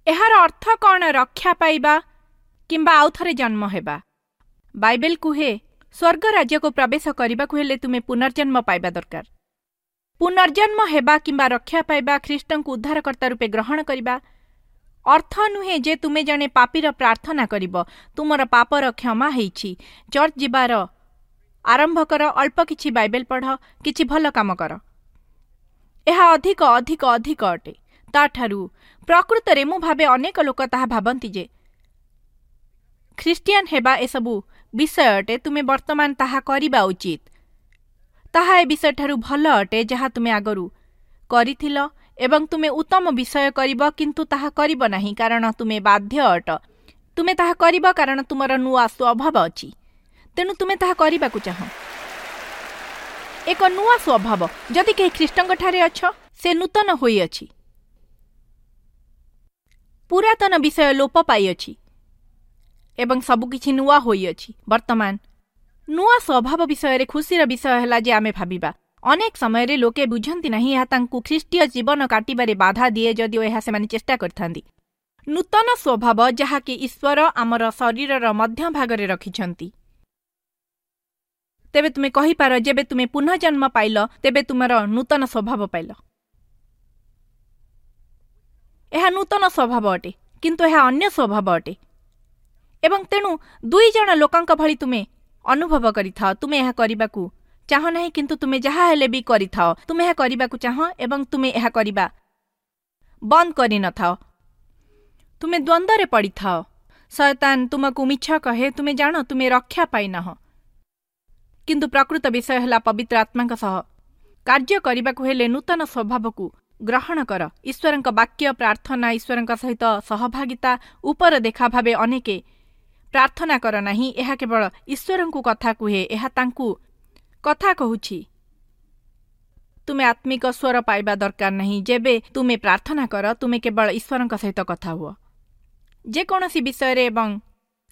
ଏହାର ଅର୍ଥ କ'ଣ ରକ୍ଷା ପାଇବା କିମ୍ବା ଆଉଥରେ ଜନ୍ମ ହେବା? ବାଇବେଲ କୁହେ, ସ୍ୱର୍ଗ ରାଜ୍ୟକୁ ପ୍ରବେଶ କରିବାକୁ ହେଲେ ତୁମେ ପୁନର୍ଜନ୍ମ ପାଇବା ଦରକାର। ପୁନର୍ଜନ୍ମ ହେବା କିମ୍ବା ରକ୍ଷା ପାଇବା, ଖ୍ରୀଷ୍ଟଙ୍କୁ ଉଦ୍ଧାରକର୍ତ୍ତା ରୂପେ ଗ୍ରହଣ କରିବା ଅର୍ଥ ନୁହେଁ ଯେ ତୁମେ ଜଣେ ପାପୀର ପ୍ରାର୍ଥନା କରିବ, ତୁମର ପାପର କ୍ଷମା ହେଇଛି, ଚର୍ଚ୍ଚ ଯିବାର ଆରମ୍ଭ କର, ଅଳ୍ପ କିଛି ବାଇବେଲ ପଢ଼, କିଛି ଭଲ କାମ କର। ଏହା ଅଧିକ ଅଧିକ ଅଧିକ ଅଟେ ତାଠାରୁ। ପ୍ରକୃତରେ ମୁଁ ଭାବେ ଅନେକ ଲୋକ ତାହା ଭାବନ୍ତି ଯେ ଖ୍ରୀଷ୍ଟିଆନ ହେବା ଏସବୁ ବିଷୟ ଅଟେ, ତୁମେ ବର୍ତ୍ତମାନ ତାହା କରିବା ଉଚିତ। ତାହା ଏ ବିଷୟଠାରୁ ଭଲ ଅଟେ ଯାହା ତୁମେ ଆଗରୁ କରିଥିଲ ଏବଂ ତୁମେ ଉତ୍ତମ ବିଷୟ କରିବ, କିନ୍ତୁ ତାହା କରିବ ନାହିଁ କାରଣ ତୁମେ ବାଧ୍ୟ ଅଟ। ତୁମେ ତାହା କରିବ କାରଣ ତୁମର ନୂଆ ସ୍ୱଭାବ ଅଛି, ତେଣୁ ତୁମେ ତାହା କରିବାକୁ ଚାହଁ। ଏକ ନୂଆ ସ୍ୱଭାବ। ଯଦି କେହି ଖ୍ରୀଷ୍ଟଙ୍କଠାରେ ଅଛ, ସେ ନୂତନ ହୋଇଅଛି, ପୁରାତନ ବିଷୟ ଲୋପ ପାଇଅଛି ଏବଂ ସବୁକିଛି ନୂଆ ହୋଇଅଛି। ବର୍ତ୍ତମାନ ନୂଆ ସ୍ୱଭାବ ବିଷୟରେ ଖୁସିର ବିଷୟ ହେଲା ଯେ ଆମେ ଭାବିବା ଅନେକ ସମୟରେ ଲୋକେ ବୁଝନ୍ତି ନାହିଁ, ଏହା ତାଙ୍କୁ ଖ୍ରୀଷ୍ଟୀୟ ଜୀବନ କାଟିବାରେ ବାଧା ଦିଏ, ଯଦିଓ ଏହା ସେମାନେ ଚେଷ୍ଟା କରିଥାନ୍ତି। ନୂତନ ସ୍ୱଭାବ ଯାହାକି ଈଶ୍ୱର ଆମର ଶରୀରର ମଧ୍ୟ ଭାଗରେ ରଖିଛନ୍ତି। ତେବେ ତୁମେ କହିପାର, ଯେବେ ତୁମେ ପୁନଃଜନ୍ମ ପାଇଲ ତେବେ ତୁମର ନୂତନ ସ୍ୱଭାବ ପାଇଲ। ଏହା ନୂତନ ସ୍ୱଭାବ ଅଟେ, କିନ୍ତୁ ଏହା ଅନ୍ୟ ସ୍ୱଭାବ ଅଟେ ଏବଂ ତେଣୁ ଦୁଇ ଜଣ ଲୋକଙ୍କ ଭଳି ତୁମେ ଅନୁଭବ କରିଥାଅ। ତୁମେ ଏହା କରିବାକୁ ଚାହଁ ନାହିଁ, କିନ୍ତୁ ତୁମେ ଯାହା ହେଲେ ବି କରିଥାଅ। ତୁମେ ଏହା କରିବାକୁ ଚାହଁ ଏବଂ ତୁମେ ଏହା କରିବା ବନ୍ଦ କରିନଥାଅ। ତୁମେ ଦ୍ୱନ୍ଦ୍ୱରେ ପଡ଼ିଥାଅ। ଶୟତାନ ତୁମକୁ ମିଛ କହେ, ତୁମେ ଜାଣ ତୁମେ ରକ୍ଷା ପାଇନାହ। କିନ୍ତୁ ପ୍ରକୃତ ବିଷୟ ହେଲା ପବିତ୍ର ଆତ୍ମାଙ୍କ ସହ କାର୍ଯ୍ୟ କରିବାକୁ ହେଲେ ନୂତନ ସ୍ୱଭାବକୁ ଗ୍ରହଣ କର। ଈଶ୍ୱରଙ୍କ ବାକ୍ୟ, ପ୍ରାର୍ଥନା, ଈଶ୍ୱରଙ୍କ ସହିତ ସହଭାଗିତା ଉପର ଦେଖା ଭାବେ ଅନେକେ ପ୍ରାର୍ଥନା କର ନାହିଁ। ଏହା କେବଳ ଈଶ୍ୱରଙ୍କୁ କଥା କୁହେ, ଏହା ତାଙ୍କୁ କଥା କହୁଛି। ତୁମେ ଆତ୍ମିକ ସ୍ୱର ପାଇବା ଦରକାର ନାହିଁ। ଯେବେ ତୁମେ ପ୍ରାର୍ଥନା କର, ତୁମେ କେବଳ ଈଶ୍ୱରଙ୍କ ସହିତ କଥା ହୁଅ, ଯେକୌଣସି ବିଷୟରେ ଏବଂ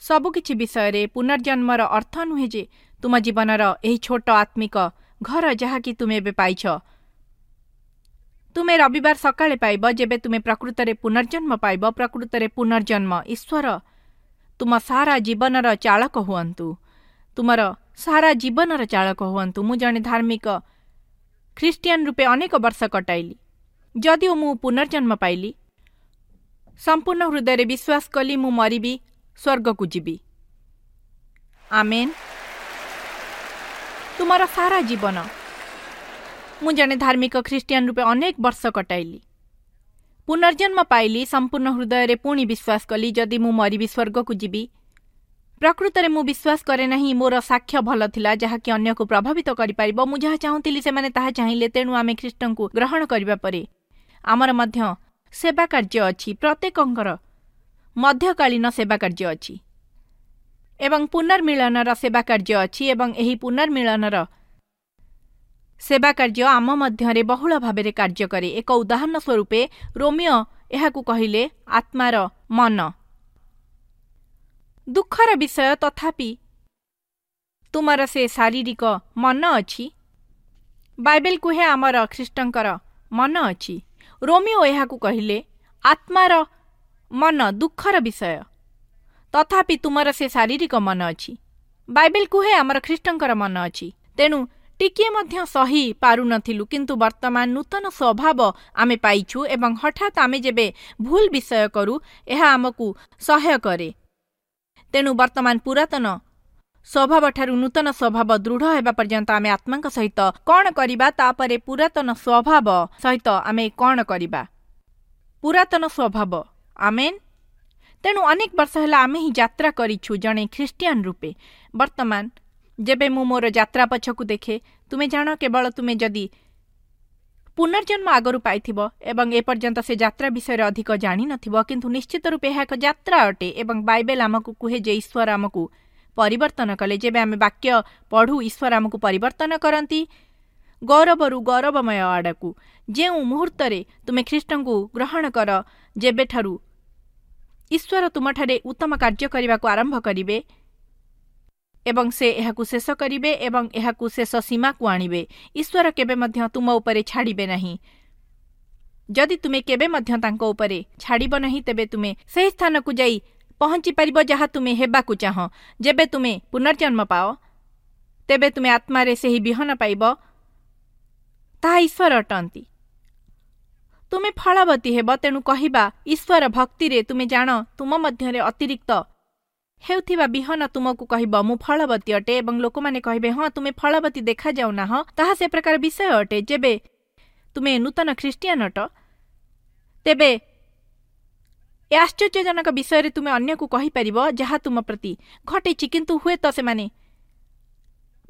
ସବୁକିଛି ବିଷୟରେ। ପୁନର୍ଜନ୍ମର ଅର୍ଥ ନୁହେଁ ଯେ ତୁମ ଜୀବନର ଏହି ଛୋଟ ଆତ୍ମିକ ଘର ଯାହାକି ତୁମେ ଏବେ ପାଇଛ, ତୁମେ ରବିବାର ସକାଳେ ପାଇବ। ଯେବେ ତୁମେ ପ୍ରକୃତରେ ପୁନର୍ଜନ୍ମ ପାଇବ, ପ୍ରକୃତରେ ପୁନର୍ଜନ୍ମ, ଈଶ୍ୱର ତୁମ ସାରା ଜୀବନର ଚାଳକ ହୁଅନ୍ତୁ, ତୁମର ସାରା ଜୀବନର ଚାଳକ ହୁଅନ୍ତୁ। ମୁଁ ଜଣେ ଧାର୍ମିକ ଖ୍ରୀଷ୍ଟିଆନ ରୂପେ ଅନେକ ବର୍ଷ କଟାଇଲି। ଯଦିଓ ମୁଁ ପୁନର୍ଜନ୍ମ ପାଇଲି, ସମ୍ପୂର୍ଣ୍ଣ ହୃଦୟରେ ବିଶ୍ୱାସ କଲି ମୁଁ ମରିବି, ସ୍ୱର୍ଗକୁ ଯିବି। ଆମେନ୍। ତୁମର ସାରା ଜୀବନ। ମୁଁ ଜଣେ ଧାର୍ମିକ ଖ୍ରୀଷ୍ଟିଆନ ରୂପେ ଅନେକ ବର୍ଷ କଟାଇଲି। ପୁନର୍ଜନ୍ମ ପାଇଲି, ସମ୍ପୂର୍ଣ୍ଣ ହୃଦୟରେ ପୁଣି ବିଶ୍ୱାସ କଲି ଯଦି ମୁଁ ମରିବି ସ୍ୱର୍ଗକୁ ଯିବି। ପ୍ରକୃତରେ ମୁଁ ବିଶ୍ୱାସ କରେ ନାହିଁ ମୋର ସାକ୍ଷ୍ୟ ଭଲ ଥିଲା ଯାହାକି ଅନ୍ୟକୁ ପ୍ରଭାବିତ କରିପାରିବ। ମୁଁ ଯାହା ଚାହୁଁଥିଲି ସେମାନେ ତାହା ଚାହିଁଲେ। ତେଣୁ ଆମେ ଖ୍ରୀଷ୍ଟଙ୍କୁ ଗ୍ରହଣ କରିବା ପରେ ଆମର ମଧ୍ୟ ସେବା କାର୍ଯ୍ୟ ଅଛି, ପ୍ରତ୍ୟେକଙ୍କର ମଧ୍ୟକାଳୀନ ସେବା କାର୍ଯ୍ୟ ଅଛି ଏବଂ ପୁନର୍ମିଳନର ସେବା କାର୍ଯ୍ୟ ଅଛି ଏବଂ ଏହି ପୁନର୍ମିଳନର ସେବା କାର୍ଯ୍ୟ ଆମ ମଧ୍ୟରେ ବହୁଳ ଭାବରେ କାର୍ଯ୍ୟ କରେ। ଏକ ଉଦାହରଣ ସ୍ୱରୂପେ ରୋମିଓ ଏହାକୁ କହିଲେ ଆତ୍ମାର ମନ। ଦୁଃଖର ବିଷୟ, ତଥାପି ତୁମର ସେ ଶାରୀରିକ ମନ ଅଛି। ବାଇବେଲ କୁହେ ଆମର ଖ୍ରୀଷ୍ଟଙ୍କର ମନ ଅଛି। ରୋମିଓ ଏହାକୁ କହିଲେ ଆତ୍ମାର ମନ। ଦୁଃଖର ବିଷୟ, ତଥାପି ତୁମର ସେ ଶାରୀରିକ ମନ ଅଛି। ବାଇବେଲ କୁହେ ଆମର ଖ୍ରୀଷ୍ଟଙ୍କର ମନ ଅଛି। ତେଣୁ ଟିକିଏ ମଧ୍ୟ ସହି ପାରୁନଥିଲୁ, କିନ୍ତୁ ବର୍ତ୍ତମାନ ନୂତନ ସ୍ୱଭାବ ଆମେ ପାଇଛୁ ଏବଂ ହଠାତ୍ ଆମେ ଯେବେ ଭୁଲ ବିଷୟ କରୁ ଏହା ଆମକୁ ସହ୍ୟ କରେ। ତେଣୁ ବର୍ତ୍ତମାନ ପୁରାତନ ସ୍ୱଭାବଠାରୁ ନୂତନ ସ୍ୱଭାବ ଦୃଢ଼ ହେବା ପର୍ଯ୍ୟନ୍ତ ଆମେ ଆତ୍ମାଙ୍କ ସହିତ କ'ଣ କରିବା, ତାପରେ ପୁରାତନ ସ୍ୱଭାବ ସହିତ ଆମେ କ'ଣ କରିବା? ପୁରାତନ ସ୍ୱଭାବ। ଆମେନ୍। ତେଣୁ ଅନେକ ବର୍ଷ ହେଲା ଆମେ ହିଁ ଯାତ୍ରା କରିଛୁ ଜଣେ ଖ୍ରୀଷ୍ଟିଆନ ରୂପେ। ବର୍ତ୍ତମାନ ଯେବେ ମୁଁ ମୋର ଯାତ୍ରା ପଛକୁ ଦେଖେ, ତୁମେ ଜାଣ, କେବଳ ତୁମେ ଯଦି ପୁନର୍ଜନ୍ମ ଆଗରୁ ପାଇଥିବ ଏବଂ ଏପର୍ଯ୍ୟନ୍ତ ସେ ଯାତ୍ରା ବିଷୟରେ ଅଧିକ ଜାଣିନଥିବ, କିନ୍ତୁ ନିଶ୍ଚିତ ରୂପେ ଏହା ଏକ ଯାତ୍ରା ଅଟେ ଏବଂ ବାଇବେଲ ଆମକୁ କୁହେ ଯେ ଈଶ୍ୱର ଆମକୁ ପରିବର୍ତ୍ତନ କଲେ। ଯେବେ ଆମେ ବାକ୍ୟ ପଢ଼ୁ, ଈଶ୍ୱର ଆମକୁ ପରିବର୍ତ୍ତନ କରନ୍ତି ଗୌରବରୁ ଗୌରବମୟ ଆଡ଼କୁ। ଯେଉଁ ମୁହୂର୍ତ୍ତରେ ତୁମେ ଖ୍ରୀଷ୍ଟଙ୍କୁ ଗ୍ରହଣ କର, ଯେବେଠାରୁ ଈଶ୍ୱର ତୁମଠାରେ ଉତ୍ତମ କାର୍ଯ୍ୟ କରିବାକୁ ଆରମ୍ଭ କରିବେ ଏବଂ ସେ ଏହାକୁ ଶେଷ କରିବେ ଏବଂ ଏହାକୁ ଶେଷ ସୀମାକୁ ଆଣିବେ। ଈଶ୍ୱର କେବେ ମଧ୍ୟ ତୁମ ଉପରେ ଛାଡ଼ିବେ ନାହିଁ। ଯଦି ତୁମେ କେବେ ମଧ୍ୟ ତାଙ୍କ ଉପରେ ଛାଡ଼ିବ ନାହିଁ, ତେବେ ତୁମେ ସେହି ସ୍ଥାନକୁ ଯାଇ ପହଞ୍ଚି ପାରିବ ଯାହା ତୁମେ ହେବାକୁ ଚାହଁ। ଯେବେ ତୁମେ ପୁନର୍ଜନ୍ମ ପାଅ, ତେବେ ତୁମେ ଆତ୍ମାରେ ସେହି ବିହନ ପାଇବ, ତାହା ଈଶ୍ୱର ଅଟନ୍ତି। ତୁମେ ଫଳବତୀ ହେବ। ତେଣୁ କହିବା ଈଶ୍ୱର ଭକ୍ତିରେ ତୁମେ ଜାଣ ତୁମ ମଧ୍ୟରେ ଅତିରିକ୍ତ ହେଉଥିବା ବିହନ ତୁମକୁ କହିବ ମୁଁ ଫଳବତୀ ଅଟେ, ଏବଂ ଲୋକମାନେ କହିବେ ହଁ ତୁମେ ଫଳବତୀ ଦେଖାଯାଉନାହଁ। ତାହା ସେ ପ୍ରକାର ବିଷୟ ଅଟେ। ଯେବେ ତୁମେ ନୂତନ ଖ୍ରୀଷ୍ଟିଆନ ଅଟ, ତେବେ ଏ ଆଶ୍ଚର୍ଯ୍ୟଜନକ ବିଷୟରେ ତୁମେ ଅନ୍ୟକୁ କହିପାରିବ ଯାହା ତୁମ ପ୍ରତି ଘଟିଛି, କିନ୍ତୁ ହୁଏତ ସେମାନେ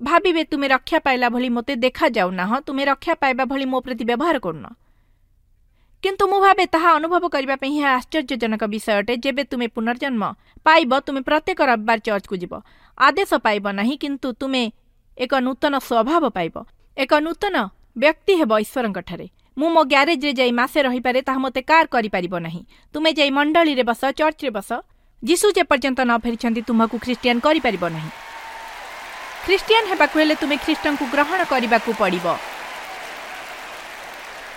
ଭାବିବେ ତୁମେ ରକ୍ଷା ପାଇଲା ଭଳି ମୋତେ ଦେଖାଯାଉନାହଁ, ତୁମେ ରକ୍ଷା ପାଇବା ଭଳି ମୋ ପ୍ରତି ବ୍ୟବହାର କରୁନ। କିନ୍ତୁ ମୁଁ ଭାବେ ତାହା ଅନୁଭବ କରିବା ପାଇଁ ଏହା ଆଶ୍ଚର୍ଯ୍ୟଜନକ ବିଷୟ ଅଟେ। ଯେବେ ତୁମେ ପୁନର୍ଜନ୍ମ ପାଇବ, ତୁମେ ପ୍ରତ୍ୟେକ ରବିବାର ଚର୍ଚ୍ଚକୁ ଯିବ। ଆଦେଶ ପାଇବ ନାହିଁ, କିନ୍ତୁ ତୁମେ ଏକ ନୂତନ ସ୍ୱଭାବ ପାଇବ, ଏକ ନୂତନ ବ୍ୟକ୍ତି ହେବ ଈଶ୍ୱରଙ୍କଠାରେ। ମୁଁ ମୋ ଗ୍ୟାରେଜରେ ଯାଇ ମାସେ ରହିପାରେ, ତାହା ମୋତେ କାର୍ କରିପାରିବ ନାହିଁ। ତୁମେ ଯାଇ ମଣ୍ଡଳୀରେ ବସ, ଚର୍ଚ୍ଚରେ ବସ, ଯୀଶୁ ଯେପର୍ଯ୍ୟନ୍ତ ନ ଫେରିଛନ୍ତି ତୁମକୁ ଖ୍ରୀଷ୍ଟିଆନ କରିପାରିବ ନାହିଁ। ଖ୍ରୀଷ୍ଟିଆନ ହେବାକୁ ହେଲେ ତୁମେ ଖ୍ରୀଷ୍ଟଙ୍କୁ ଗ୍ରହଣ କରିବାକୁ ପଡ଼ିବ,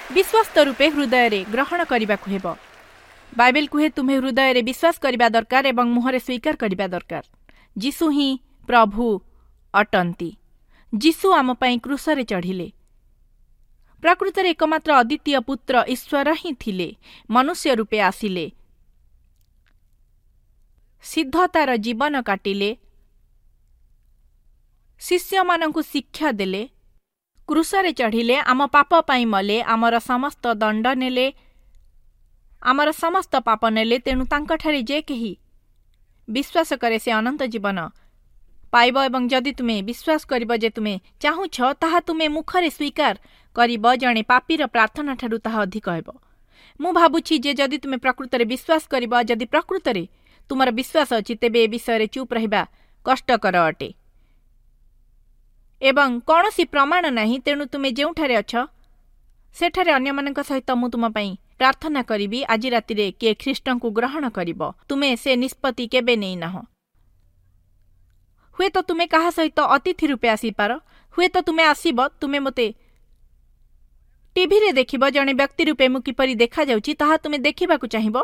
ବିଶ୍ୱସ୍ତ ରୂପେ ହୃଦୟରେ ଗ୍ରହଣ କରିବାକୁ ହେବ। ବାଇବେଲ କୁହେ ତୁମେ ହୃଦୟରେ ବିଶ୍ୱାସ କରିବା ଦରକାର ଏବଂ ମୁହଁରେ ସ୍ୱୀକାର କରିବା ଦରକାର। ଯୀଶୁ ହିଁ ପ୍ରଭୁ ଅଟନ୍ତି। ଯୀଶୁ ଆମ ପାଇଁ କ୍ରୁଶରେ ଚଢ଼ିଲେ। ପ୍ରକୃତରେ ଏକମାତ୍ର ଅଦ୍ୱିତୀୟ ପୁତ୍ର ଈଶ୍ୱର ହିଁ ଥିଲେ, ମନୁଷ୍ୟ ରୂପେ ଆସିଲେ, ସିଦ୍ଧତାର ଜୀବନ କାଟିଲେ, ଶିଷ୍ୟମାନଙ୍କୁ ଶିକ୍ଷା ଦେଲେ, କ୍ରୁଶରେ ଚଢ଼ିଲେ, ଆମ ପାପ ପାଇଁ ମଲେ, ଆମର ସମସ୍ତ ଦଣ୍ଡ ନେଲେ, ଆମର ସମସ୍ତ ପାପ ନେଲେ। ତେଣୁ ତାଙ୍କଠାରେ ଯେ କେହି ବିଶ୍ୱାସ କରେ ସେ ଅନନ୍ତ ଜୀବନ ପାଇବ। ଏବଂ ଯଦି ତୁମେ ବିଶ୍ୱାସ କରିବ ଯେ ତୁମେ ଚାହୁଁଛ, ତାହା ତୁମେ ମୁଖରେ ସ୍ୱୀକାର କରିବ, ଜଣେ ପାପୀର ପ୍ରାର୍ଥନା ଠାରୁ ତାହା ଅଧିକ ହେବ। ମୁଁ ଭାବୁଛି ଯେ ଯଦି ତୁମେ ପ୍ରକୃତରେ ବିଶ୍ୱାସ କରିବ, ଯଦି ପ୍ରକୃତରେ ତୁମର ବିଶ୍ୱାସ ଅଛି, ତେବେ ଏ ବିଷୟରେ ଚୁପ୍ ରହିବା କଷ୍ଟକର ଅଟେ ଏବଂ କୌଣସି ପ୍ରମାଣ ନାହିଁ। ତେଣୁ ତୁମେ ଯେଉଁଠାରେ ଅଛ ସେଠାରେ ଅନ୍ୟମାନଙ୍କ ସହିତ ମୁଁ ତୁମ ପାଇଁ ପ୍ରାର୍ଥନା କରିବି। ଆଜି ରାତିରେ କିଏ ଖ୍ରୀଷ୍ଟଙ୍କୁ ଗ୍ରହଣ କରିବ? ତୁମେ ସେ ନିଷ୍ପତ୍ତି କେବେ ନେଇନାହଁ। ହୁଏତ ତୁମେ କାହା ସହିତ ଅତିଥି ରୂପେ ଆସିପାର, ହୁଏତ ତୁମେ ଆସିବ, ତୁମେ ମୋତେ ଟିଭିରେ ଦେଖିବ, ଜଣେ ବ୍ୟକ୍ତି ରୂପେ ମୁଁ କିପରି ଦେଖାଯାଉଛି ତାହା ତୁମେ ଦେଖିବାକୁ ଚାହିଁବ।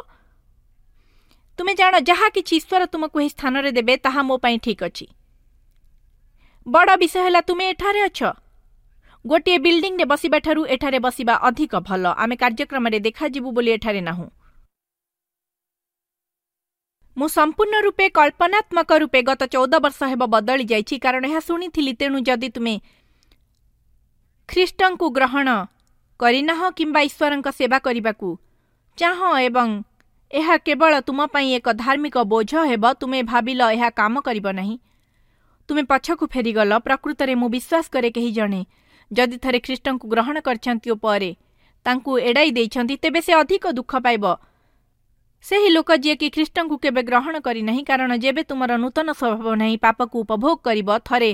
ତୁମେ ଜାଣ ଯାହା କିଛି ଈଶ୍ୱର ତୁମକୁ ଏହି ସ୍ଥାନରେ ଦେବେ ତାହା ମୋ ପାଇଁ ଠିକ୍ ଅଛି। ବଡ଼ ବିଷୟ ହେଲା ତୁମେ ଏଠାରେ ଅଛ। ଗୋଟିଏ ବିଲ୍ଡିଂରେ ବସିବା ଠାରୁ ଏଠାରେ ବସିବା ଅଧିକ ଭଲ। ଆମେ କାର୍ଯ୍ୟକ୍ରମରେ ଦେଖାଯିବୁ ବୋଲି ଏଠାରେ ନାହୁଁ। ମୁଁ ସମ୍ପୂର୍ଣ୍ଣ ରୂପେ କଳ୍ପନାତ୍ମକ ରୂପେ ଗତ 14 ବର୍ଷ ହେବ ବଦଳି ଯାଇଛି, କାରଣ ଏହା ଶୁଣିଥିଲି। ତେଣୁ ଯଦି ତୁମେ ଖ୍ରୀଷ୍ଟଙ୍କୁ ଗ୍ରହଣ କରିନାହଁ କିମ୍ବା ଈଶ୍ୱରଙ୍କ ସେବା କରିବାକୁ ଚାହଁ ଏବଂ ଏହା କେବଳ ତୁମ ପାଇଁ ଏକ ଧାର୍ମିକ ବୋଝ ହେବ, ତୁମେ ଭାବିଲ ଏହା କାମ କରିବ ନାହିଁ, ତୁମେ ପଛକୁ ଫେରିଗଲ। ପ୍ରକୃତରେ ମୁଁ ବିଶ୍ୱାସ କରେ କେହି ଜଣେ ଯଦି ଥରେ ଖ୍ରୀଷ୍ଟଙ୍କୁ ଗ୍ରହଣ କରିଛନ୍ତି ଓ ପରେ ତାଙ୍କୁ ଏଡ଼ାଇ ଦେଇଛନ୍ତି, ତେବେ ସେ ଅଧିକ ଦୁଃଖ ପାଇବ ସେହି ଲୋକ ଯିଏକି ଖ୍ରୀଷ୍ଟଙ୍କୁ କେବେ ଗ୍ରହଣ କରିନାହିଁ। କାରଣ ଯେବେ ତୁମର ନୂତନ ସ୍ୱଭାବ ନାହିଁ, ପାପକୁ ଉପଭୋଗ କରିବ। ଥରେ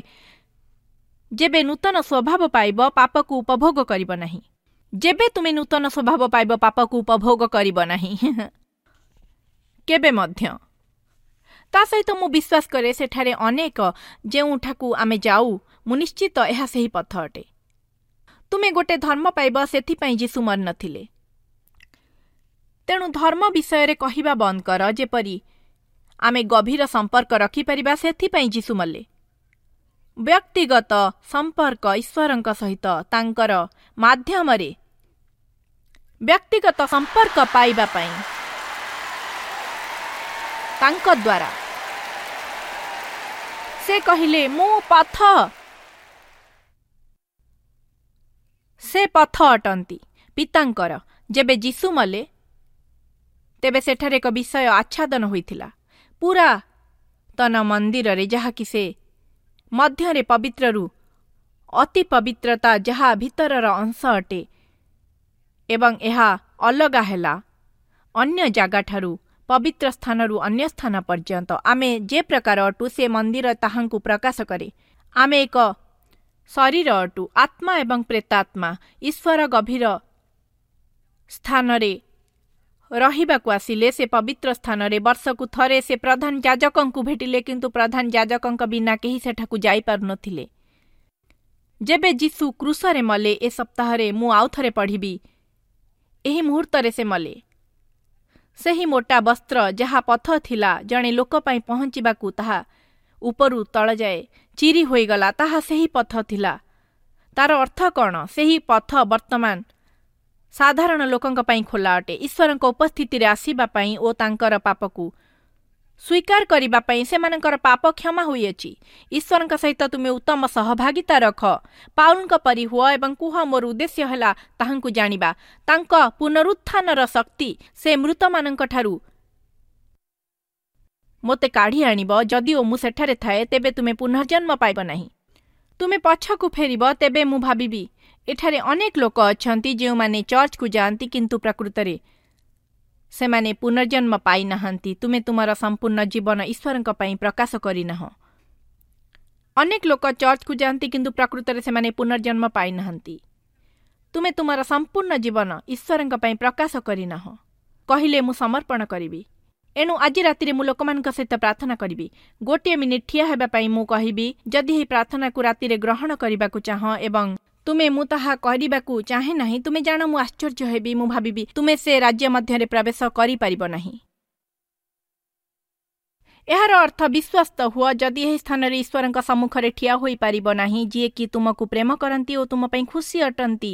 ଯେବେ ନୂତନ ସ୍ୱଭାବ ପାଇବ, ପାପକୁ ଉପଭୋଗ କରିବ ନାହିଁ। ଯେବେ ତୁମେ ନୂତନ ସ୍ୱଭାବ ପାଇବ, ପାପକୁ ଉପଭୋଗ କରିବ ନାହିଁ କେବେ ମଧ୍ୟ। ତା ସହିତ ମୁଁ ବିଶ୍ୱାସ କରେ ସେଠାରେ ଅନେକ ଯେଉଁଠାକୁ ଆମେ ଯାଉ, ମୁଁ ନିଶ୍ଚିତ ଏହା ସେହି ପଥ ଅଟେ। ତୁମେ ଗୋଟେ ଧର୍ମ ପାଇବ, ସେଥିପାଇଁ ଯୀଶୁ ମରିନଥିଲେ। ତେଣୁ ଧର୍ମ ବିଷୟରେ କହିବା ବନ୍ଦ କର। ଯେପରି ଆମେ ଗଭୀର ସମ୍ପର୍କ ରଖିପାରିବା, ସେଥିପାଇଁ ଯୀଶୁ ମଲେ। ବ୍ୟକ୍ତିଗତ ସମ୍ପର୍କ ଈଶ୍ୱରଙ୍କ ସହିତ ତାଙ୍କର ମାଧ୍ୟମରେ ବ୍ୟକ୍ତିଗତ ସମ୍ପର୍କ ପାଇବା ପାଇଁ ତାଙ୍କ ଦ୍ୱାରା ସେ କହିଲେ ମୁଁ ପଥ। ସେ ପଥ ଅଟନ୍ତି ପିତାଙ୍କର। ଯେବେ ଯୀଶୁ ମଲେ, ତେବେ ସେଠାରେ ଏକ ବିଷୟ ଆଚ୍ଛାଦନ ହୋଇଥିଲା ପୁରାତନ ମନ୍ଦିରରେ, ଯାହାକି ସେ ମଧ୍ୟରେ ପବିତ୍ରରୁ ଅତି ପବିତ୍ରତା, ଯାହା ଭିତରର ଅଂଶ ଅଟେ, ଏବଂ ଏହା ଅଲଗା ହେଲା ଅନ୍ୟ ଜାଗାଠାରୁ, ପବିତ୍ର ସ୍ଥାନରୁ ଅନ୍ୟ ସ୍ଥାନ ପର୍ଯ୍ୟନ୍ତ। ଆମେ ଯେ ପ୍ରକାର ଅଟୁ, ସେ ମନ୍ଦିର ତାହାଙ୍କୁ ପ୍ରକାଶ କରେ। ଆମେ ଏକ ଶରୀର ଅଟୁ, ଆତ୍ମା ଏବଂ ପ୍ରେତାତ୍ମା। ଈଶ୍ୱର ଗଭୀର ସ୍ଥାନରେ ରହିବାକୁ ଆସିଲେ। ସେ ପବିତ୍ର ସ୍ଥାନରେ ବର୍ଷକୁ ଥରେ ସେ ପ୍ରଧାନ ଯାଜକଙ୍କୁ ଭେଟିଲେ, କିନ୍ତୁ ପ୍ରଧାନ ଯାଜକଙ୍କ ବିନା କେହି ସେଠାକୁ ଯାଇପାରୁନଥିଲେ। ଯେବେ ଯୀଶୁ କ୍ରୁଶରେ ମଲେ, ଏ ସପ୍ତାହରେ ମୁଁ ଆଉ ଥରେ ପଢ଼ିବି ଏହି ମୁହୂର୍ତ୍ତରେ ସେ ମଲେ। ସେହି ମୋଟା ବସ୍ତ୍ର ଯାହା ପଥ ଥିଲା ଜଣେ ଲୋକ ପାଇଁ ପହଞ୍ଚିବାକୁ, ତାହା ଉପରୁ ତଳ ଯାଏ ଚିରି ହୋଇଗଲା। ତାହା ସେହି ପଥ ଥିଲା। ତାର ଅର୍ଥ କ'ଣ? ସେହି ପଥ ବର୍ତ୍ତମାନ ସାଧାରଣ ଲୋକଙ୍କ ପାଇଁ ଖୋଲା ଅଟେ, ଈଶ୍ୱରଙ୍କ ଉପସ୍ଥିତିରେ ଆସିବା ପାଇଁ ଓ ତାଙ୍କର ପାପକୁ ସ୍ୱୀକାର କରିବା ପାଇଁ। ସେମାନଙ୍କର ପାପ କ୍ଷମା ହୋଇଅଛି। ଈଶ୍ୱରଙ୍କ ସହିତ ତୁମେ ଉତ୍ତମ ସହଭାଗିତା ରଖ। ପାଉଲଙ୍କ ପରି ହୁଅ ଏବଂ କୁହ, ମୋର ଉଦ୍ଦେଶ୍ୟ ହେଲା ତାହାଙ୍କୁ ଜାଣିବା, ତାଙ୍କ ପୁନରୁତ୍ଥାନର ଶକ୍ତି। ସେ ମୃତମାନଙ୍କଠାରୁ ମୋତେ କାଢ଼ି ଆଣିବ। ଯଦିଓ ମୁଁ ସେଠାରେ ଥାଏ, ତେବେ ତୁମେ ପୁନର୍ଜନ୍ମ ପାଇବ ନାହିଁ। ତୁମେ ପଛକୁ ଫେରିବ। ତେବେ ମୁଁ ଭାବିବି, ଏଠାରେ ଅନେକ ଲୋକ ଅଛନ୍ତି ଯେଉଁମାନେ ଚର୍ଚ୍ଚକୁ ଯାଆନ୍ତି, କିନ୍ତୁ ପ୍ରକୃତରେ ସେମାନେ ପୁନର୍ଜନ୍ମ ପାଇନାହାନ୍ତି। ତୁମେ ତୁମର ସମ୍ପୂର୍ଣ୍ଣ ଜୀବନ ଈଶ୍ୱରଙ୍କ ପାଇଁ ପ୍ରକାଶ କରିନାହଁ। ଅନେକ ଲୋକ ଚର୍ଚ୍ଚକୁ ଯାଆନ୍ତି, କିନ୍ତୁ ପ୍ରକୃତରେ ସେମାନେ ପୁନର୍ଜନ୍ମ ପାଇନାହାନ୍ତି। ତୁମେ ତୁମର ସମ୍ପୂର୍ଣ୍ଣ ଜୀବନ ଈଶ୍ୱରଙ୍କ ପାଇଁ ପ୍ରକାଶ କରିନାହଁ। କହିଲେ ମୁଁ ସମର୍ପଣ କରିବି। ଏଣୁ ଆଜି ରାତିରେ ମୁଁ ଲୋକମାନଙ୍କ ସହିତ ପ୍ରାର୍ଥନା କରିବି। ଗୋଟିଏ ମିନିଟ୍ ଠିଆ ହେବା ପାଇଁ ମୁଁ କହିବି, ଯଦି ଏହି ପ୍ରାର୍ଥନାକୁ ରାତିରେ ଗ୍ରହଣ କରିବାକୁ ଚାହଁ ଏବଂ ତୁମେ ମୁଁ ତାହା କରିବାକୁ ଚାହେଁ ନାହିଁ, ତୁମେ ଜାଣ ମୁଁ ଆଶ୍ଚର୍ଯ୍ୟ ହେବି। ମୁଁ ଭାବିବି ତୁମେ ସେ ରାଜ୍ୟ ମଧ୍ୟରେ ପ୍ରବେଶ କରିପାରିବ ନାହିଁ। ଏହାର ଅର୍ଥ ବିଶ୍ୱସ୍ତ ହୁଅ। ଯଦି ଏହି ସ୍ଥାନରେ ଈଶ୍ୱରଙ୍କ ସମ୍ମୁଖରେ ଠିଆ ହୋଇପାରିବ ନାହିଁ, ଯିଏକି ତୁମକୁ ପ୍ରେମ କରନ୍ତି ଓ ତୁମ ପାଇଁ ଖୁସି ଅଟନ୍ତି,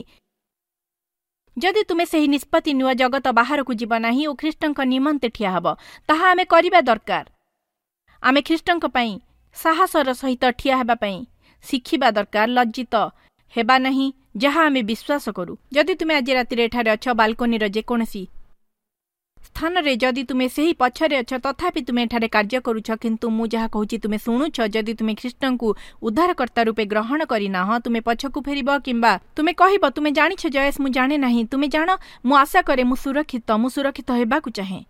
ଯଦି ତୁମେ ସେହି ନିଷ୍ପତ୍ତି ନିଅ ଜଗତ ବାହାରକୁ ଯିବ ନାହିଁ ଓ ଖ୍ରୀଷ୍ଟଙ୍କ ନିମନ୍ତେ ଠିଆ ହେବ, ତାହା ଆମେ କରିବା ଦରକାର। ଆମେ ଖ୍ରୀଷ୍ଟଙ୍କ ପାଇଁ ସାହସର ସହିତ ଠିଆ ହେବା ପାଇଁ ଶିଖିବା ଦରକାର, ଲଜ୍ଜିତ ହେବା ନାହିଁ ଯାହା ଆମେ ବିଶ୍ୱାସ କରୁ। ଯଦି ତୁମେ ଆଜି ରାତିରେ ଏଠାରେ ଅଛ, ବାଲକୋନିର ଯେକୌଣସି ସ୍ଥାନରେ, ଯଦି ତୁମେ ସେହି ପଛରେ ଅଛ, ତଥାପି ତୁମେ ଏଠାରେ କାର୍ଯ୍ୟ କରୁଛ, କିନ୍ତୁ ମୁଁ ଯାହା କହୁଛି ତୁମେ ଶୁଣୁଛ। ଯଦି ତୁମେ ଖ୍ରୀଷ୍ଟଙ୍କୁ ଉଦ୍ଧାରକର୍ତ୍ତା ରୂପେ ଗ୍ରହଣ କରିନାହଁ, ତୁମେ ପଛକୁ ଫେରିବ କିମ୍ବା ତୁମେ କହିବ, ତୁମେ ଜାଣିଛ ଜୟେଶ, ମୁଁ ଜାଣେ ନାହିଁ। ତୁମେ ଜାଣ, ମୁଁ ଆଶା କରେ ମୁଁ ସୁରକ୍ଷିତ, ମୁଁ ସୁରକ୍ଷିତ ହେବାକୁ ଚାହେଁ।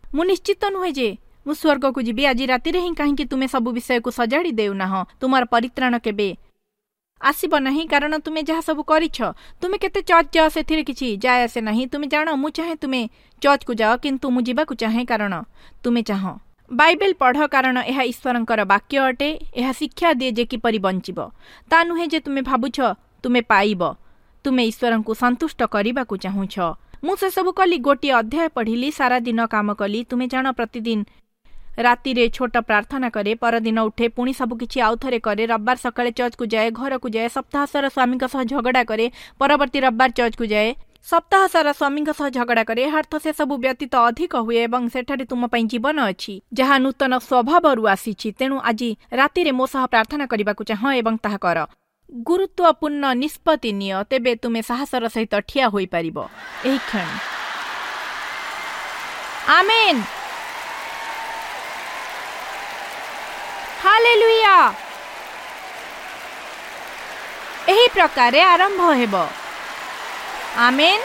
ମୁଁ ନିଶ୍ଚିତ ନୁହେଁ ଯେ ମୁଁ ସ୍ୱର୍ଗକୁ ଯିବି ଆଜି ରାତିରେ ହିଁ। କାହିଁକି ତୁମେ ସବୁ ବିଷୟକୁ ସଜାଡ଼ି ଦେଉନାହଁ? ତୁମର ପରିତ୍ରାଣ କେବେ ଆସିବ ନାହିଁ, କାରଣ ତୁମେ ଯାହା ସବୁ କରିଛ। ତୁମେ କେତେ ଚର୍ଚ୍ଚ ଯାଅ ସେଥିରେ କିଛି ଯାଏ ଆସେ ନାହିଁ। ତୁମେ ଜାଣ, ମୁଁ ଚାହେଁ ତୁମେ ଚର୍ଚ୍ଚକୁ ଯାଅ, କିନ୍ତୁ ମୁଁ ଯିବାକୁ ଚାହେଁ କାରଣ ତୁମେ ଚାହଁ। ବାଇବେଲ ପଢ଼, କାରଣ ଏହା ଈଶ୍ୱରଙ୍କର ବାକ୍ୟ ଅଟେ। ଏହା ଶିକ୍ଷା ଦିଏ ଯେ କିପରି ବଞ୍ଚିବ। ତା ନୁହେଁ ଯେ ତୁମେ ଭାବୁଛ ତୁମେ ପାଇବ। ତୁମେ ଈଶ୍ୱରଙ୍କୁ ସନ୍ତୁଷ୍ଟ କରିବାକୁ ଚାହୁଁଛ। ମୁଁ ସେସବୁ କଲି, ଗୋଟିଏ ଅଧ୍ୟାୟ ପଢ଼ିଲି, ସାରା ଦିନ କାମ କଲି। ତୁମେ ଜାଣ, ପ୍ରତିଦିନ ରାତିରେ ଛୋଟ ପ୍ରାର୍ଥନା କରେ, ପରଦିନ ଉଠେ, ପୁଣି ସବୁକିଛି ଆଉ ଥରେ କରେ। ରବିବାର ସକାଳେ ଚର୍ଚ୍ଚକୁ ଯାଏ, ଘରକୁ ଯାଏ, ସପ୍ତାହ ସାରା ସ୍ୱାମୀଙ୍କ ସହ ଝଗଡ଼ା କରେ, ପରବର୍ତ୍ତୀ ରବିବାର ଚର୍ଚ୍ଚକୁ ଯାଏ, ସପ୍ତାହ ସାରା ସ୍ୱାମୀଙ୍କ ସହ ଝଗଡ଼ା କରେ। ଏହା ଅର୍ଥ ସେସବୁ ବ୍ୟତୀତ ଅଧିକ ହୁଏ ଏବଂ ସେଠାରେ ତୁମ ପାଇଁ ଜୀବନ ଅଛି ଯାହା ନୂତନ ସ୍ୱଭାବରୁ ଆସିଛି। ତେଣୁ ଆଜି ରାତିରେ ମୋ ସହ ପ୍ରାର୍ଥନା କରିବାକୁ ଚାହଁ ଏବଂ ତାହା କର। ଗୁରୁତ୍ୱପୂର୍ଣ୍ଣ ନିଷ୍ପତ୍ତି ନିଅ, ତେବେ ତୁମେ ସାହସର ସହିତ ଠିଆ ହୋଇପାରିବ ଏହି କ୍ଷଣି। ଆମେନ୍, ହାଲେଲୁୟା। ଏହି ପ୍ରକାରେ ଆରମ୍ଭ ହେବ। ଆମେନ୍।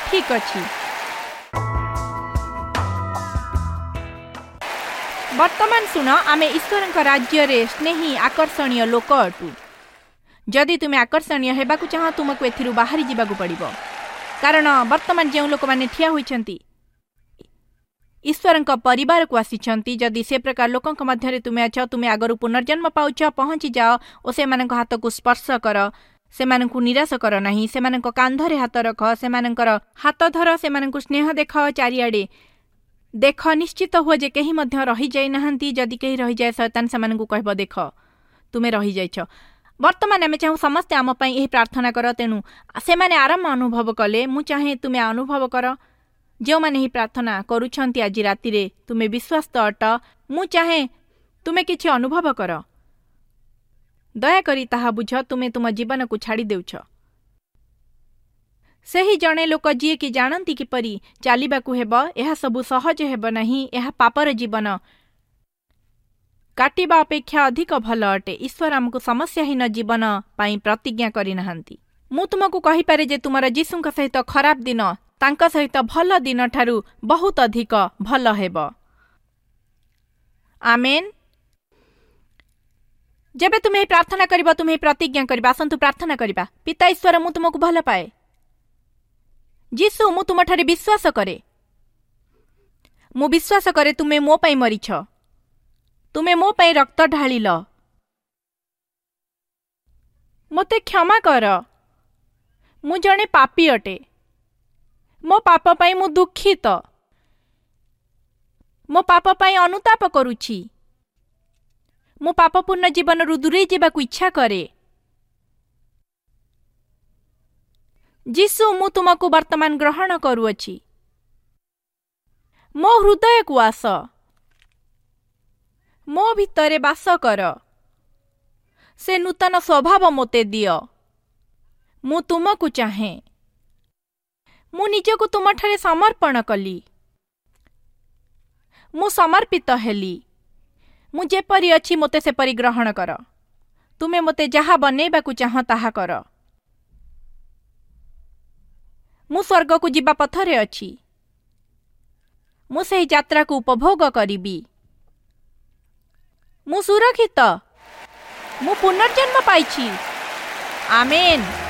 ଠିକ ଅଛି। ବର୍ତ୍ତମାନ ଶୁଣ, ଆମେ ଈଶ୍ୱରଙ୍କ ରାଜ୍ୟରେ ସ୍ନେହୀ ଆକର୍ଷଣୀୟ ଲୋକ ଅଟୁ। ଯଦି ତୁମେ ଆକର୍ଷଣୀୟ ହେବାକୁ ଚାହଁ, ତୁମକୁ ଏଥିରୁ ବାହାରି ଯିବାକୁ ପଡ଼ିବ। କାରଣ ବର୍ତ୍ତମାନ ଯେଉଁ ଲୋକମାନେ ଠିଆ ହୋଇଛନ୍ତି, ଈଶ୍ୱରଙ୍କ ପରିବାରକୁ ଆସିଛନ୍ତି, ଯଦି ସେ ପ୍ରକାର ଲୋକଙ୍କ ମଧ୍ୟରେ ତୁମେ ଅଛ, ତୁମେ ଆଗରୁ ପୁନର୍ଜନ୍ମ ପାଉଛ, ପହଞ୍ଚି ଯାଅ ଓ ସେମାନଙ୍କ ହାତକୁ ସ୍ପର୍ଶ କର। ସେମାନଙ୍କୁ ନିରାଶ କର ନାହିଁ। ସେମାନଙ୍କ କାନ୍ଧରେ ହାତ ରଖ, ସେମାନଙ୍କର ହାତ ଧର, ସେମାନଙ୍କୁ ସ୍ନେହ ଦେଖାଅ। ଚାରିଆଡ଼େ ଦେଖ, ନିଶ୍ଚିତ ହୁଅ ଯେ କେହି ମଧ୍ୟ ରହିଯାଇ ନାହାନ୍ତି। ଯଦି କେହି ରହିଯାଏ, ଶୟତାନ ସେମାନଙ୍କୁ କହିବ, ଦେଖ ତୁମେ ରହିଯାଇଛ। ବର୍ତ୍ତମାନ ଆମେ ଚାହୁଁ ସମସ୍ତେ ଆମ ପାଇଁ ଏହି ପ୍ରାର୍ଥନା କର। ତେଣୁ ସେମାନେ ଆରାମ ଅନୁଭବ କଲେ। ମୁଁ ଚାହେଁ ତୁମେ ଅନୁଭବ କର। ଯେଉଁମାନେ ଏହି ପ୍ରାର୍ଥନା କରୁଛନ୍ତି ଆଜି ରାତିରେ, ତୁମେ ବିଶ୍ୱସ୍ତ ଅଟ। ମୁଁ ଚାହେଁ ତୁମେ କିଛି ଅନୁଭବ କର। ଦୟାକରି ତାହା ବୁଝ, ତୁମେ ତୁମ ଜୀବନକୁ ଛାଡ଼ି ଦେଉଛ। ସେହି ଜଣେ ଲୋକ ଯିଏକି ଜାଣନ୍ତି କିପରି ଚାଲିବାକୁ ହେବ, ଏହା ସବୁ ସହଜ ହେବ ନାହିଁ। ଏହା ପାପର ଜୀବନ କାଟିବା ଅପେକ୍ଷା ଅଧିକ ଭଲ ଅଟେ। ଈଶ୍ୱର ଆମକୁ ସମସ୍ୟାହୀନ ଜୀବନ ପାଇଁ ପ୍ରତିଜ୍ଞା କରିନାହାନ୍ତି। ମୁଁ ତୁମକୁ କହିପାରେ ଯେ ତୁମର ଯୀଶୁଙ୍କ ସହିତ ଖରାପ ଦିନ ତାଙ୍କ ସହିତ ଭଲ ଦିନଠାରୁ ବହୁତ ଅଧିକ ଭଲ ହେବ। ଆମେନ୍। ଯେବେ ତୁମେ ଏହି ପ୍ରାର୍ଥନା କରିବ, ତୁମେ ଏହି ପ୍ରତିଜ୍ଞା କରିବ। ଆସନ୍ତୁ ପ୍ରାର୍ଥନା କରିବା। ପିତା ଈଶ୍ୱର, ମୁଁ ତୁମକୁ ଭଲ ପାଏ। ଯୀଶୁ, ମୁଁ ତୁମଠାରେ ବିଶ୍ୱାସ କରେ। ମୁଁ ବିଶ୍ୱାସ କରେ ତୁମେ ମୋ ପାଇଁ ମରିଛ। ତୁମେ ମୋ ପାଇଁ ରକ୍ତ ଢାଳିଲ। ମୋତେ କ୍ଷମା କର। ମୁଁ ଜଣେ ପାପୀ ଅଟେ। ମୋ ପାପ ପାଇଁ ମୁଁ ଦୁଃଖିତ। ମୋ ପାପ ପାଇଁ ଅନୁତାପ କରୁଛି। ମୁଁ ପାପପୂର୍ଣ୍ଣ ଜୀବନରୁ ଦୂରେଇ ଯିବାକୁ ଇଚ୍ଛା କରେ। ଯୀଶୁ, ମୁଁ ତୁମକୁ ବର୍ତ୍ତମାନ ଗ୍ରହଣ କରୁଅଛି। ମୋ ହୃଦୟକୁ ଆସ, ମୋ ଭିତରେ ବାସ କର। ସେ ନୂତନ ସ୍ୱଭାବ ମୋତେ ଦିଅ। ମୁଁ ତୁମକୁ ଚାହେଁ। ମୁଁ ନିଜକୁ ତୁମଠାରେ ସମର୍ପଣ କଲି। ମୁଁ ସମର୍ପିତ ହେଲି। ମୁଁ ଯେପରି ଅଛି ମୋତେ ସେପରି ଗ୍ରହଣ କର। ତୁମେ ମୋତେ ଯାହା ବନେଇବାକୁ ଚାହଁ ତାହା କର। ମୁଁ ସ୍ୱର୍ଗକୁ ଯିବା ପଥରେ ଅଛି। ମୁଁ ସେହି ଯାତ୍ରାକୁ ଉପଭୋଗ କରିବି। ମୁଁ ସୁରକ୍ଷିତ। ମୁଁ ପୁନର୍ଜନ୍ମ ପାଇଛି। ଆମେନ୍।